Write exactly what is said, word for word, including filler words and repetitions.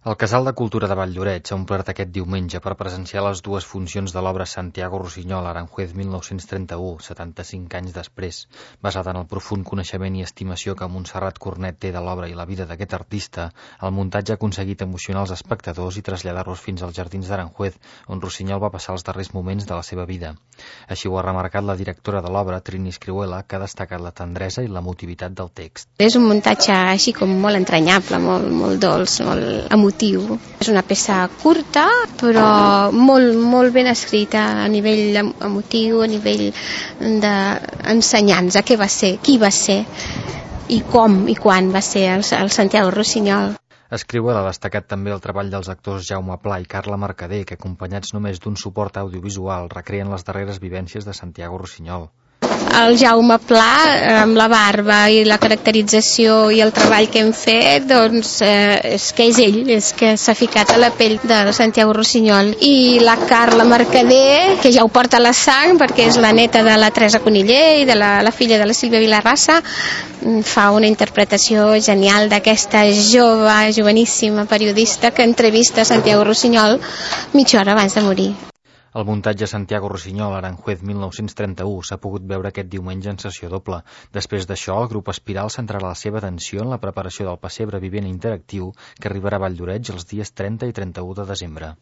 El Casal de Cultura de Valldoreix ha omplert aquest diumenge per presenciar les dues funcions de l'obra Santiago Rusiñol, Aranjuez mil nou-cents trenta-u, setanta-cinc anys després. Basada en el profund coneixement i estimació que Montserrat Cornet té de l'obra i la vida d'aquest artista, el muntatge ha aconseguit emocionar els espectadors i traslladar-los fins als jardins d'Aranjuez, on Rusiñol va passar els darrers moments de la seva vida. Així ho ha remarcat la directora de l'obra, Trini Escrihuela, que ha destacat la tendresa i l'emotivitat del text. És un muntatge així com molt entranyable, molt, molt dolç, molt emotiu. És una peça curta, però molt, molt ben escrita a nivell emotiu, a nivell d'ensenyança. Què va ser, qui va ser i com i quan va ser el, el Santiago Rusiñol. Escrihuela ha destacat també el treball dels actors Jaume Pla i Carla Mercader, que acompanyats només d'un suport audiovisual recreen les darreres vivències de Santiago Rusiñol. El Jaume Pla, amb la barba i la caracterització i el treball que hem fet, doncs eh, és que és ell, és que s'ha ficat a la pell de Santiago Rusiñol. I la Carla Mercader, que ja ho porta a la sang, perquè és la neta de la Teresa Coniller i de la, la filla de la Sílvia Vilarrassa, fa una interpretació genial d'aquesta jove, joveníssima periodista que entrevista Santiago Rusiñol mitja hora abans de morir. El muntatge Santiago Rusiñol, Aranjuez mil nou-cents trenta-u, s'ha pogut veure aquest diumenge en sessió doble. Després d'això, el grup Espiral centrarà la seva atenció en la preparació del pessebre vivent interactiu que arribarà a Valldoreix els dies trenta i trenta-u de desembre.